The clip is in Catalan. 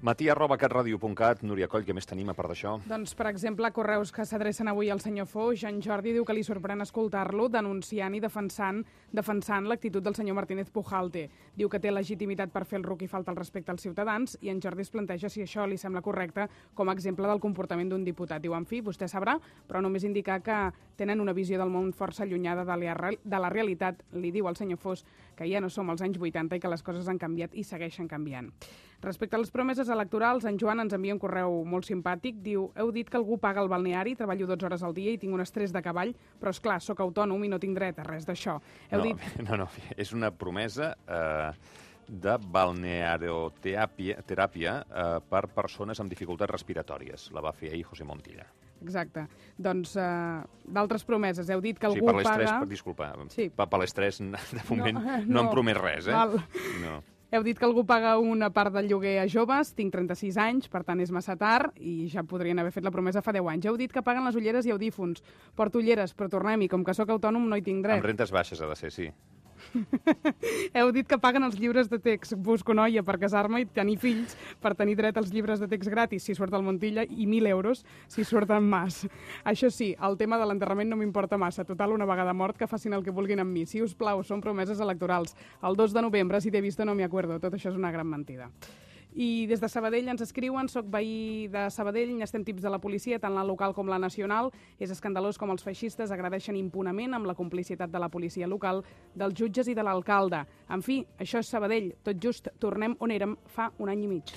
Matí@catradio.cat. Núria Coll, què més tenim a part d'això? Doncs, per exemple, correus que s'adrecen avui al senyor Foix. En Jordi diu que li sorprèn escoltar-lo denunciant i defensant l'actitud del senyor Martínez Pujalte. Diu que té legitimitat per fer el ruc i falta el respecte als ciutadans, i en Jordi es planteja si això li sembla correcte com a exemple del comportament d'un diputat. Diu, en fi, vostè sabrà, però només indicar que tenen una visió del món força allunyada de la realitat. Li diu al senyor Foix que ja no som als anys 80 i que les coses han canviat i segueixen canviant. Respecte a les promeses electorals, en Joan ens envia un correu molt simpàtic. Diu, heu dit que algú paga el balneari, treballo 12 hores al dia i tinc un estrès de cavall, però és clar, sóc autònom i no tinc dret a res d'això. No, és una promesa de balnearoteràpia per persones amb dificultats respiratòries. La va fer ahir José Montilla. Exacte. Doncs d'altres promeses. Heu dit que algú paga... Sí, per l'estrès, disculpa, sí. Per l'estrès, de moment, no hem promès res, No. Heu dit que algú paga una part del lloguer a joves, tinc 36 anys, per tant és massa tard, i ja podrien haver fet la promesa fa 10 anys. Heu dit que paguen les ulleres i audífons. Porto ulleres, però tornem-hi, com que sóc autònom no hi tinc dret. Amb rentes baixes ha de ser, sí. Heu dit que paguen els llibres de text. Busco noia per casar-me i tenir fills per tenir dret als llibres de text gratis si surt al Montilla i 1.000 euros si surt en Mas. Això sí, el tema de l'enterrament no m'importa massa. Total, una vegada mort, que facin el que vulguin amb mi. Si us plau, són promeses electorals. El 2 de novembre, si t'he vist no m'hi acuerdo. Tot això és una gran mentida. I des de Sabadell ens escriuen, soc veí de Sabadell, n'estem tips de la policia, tant la local com la nacional. És escandalós com els feixistes agredeixen impunament amb la complicitat de la policia local, dels jutges i de l'alcalde. En fi, això és Sabadell. Tot just tornem on érem fa un any i mig.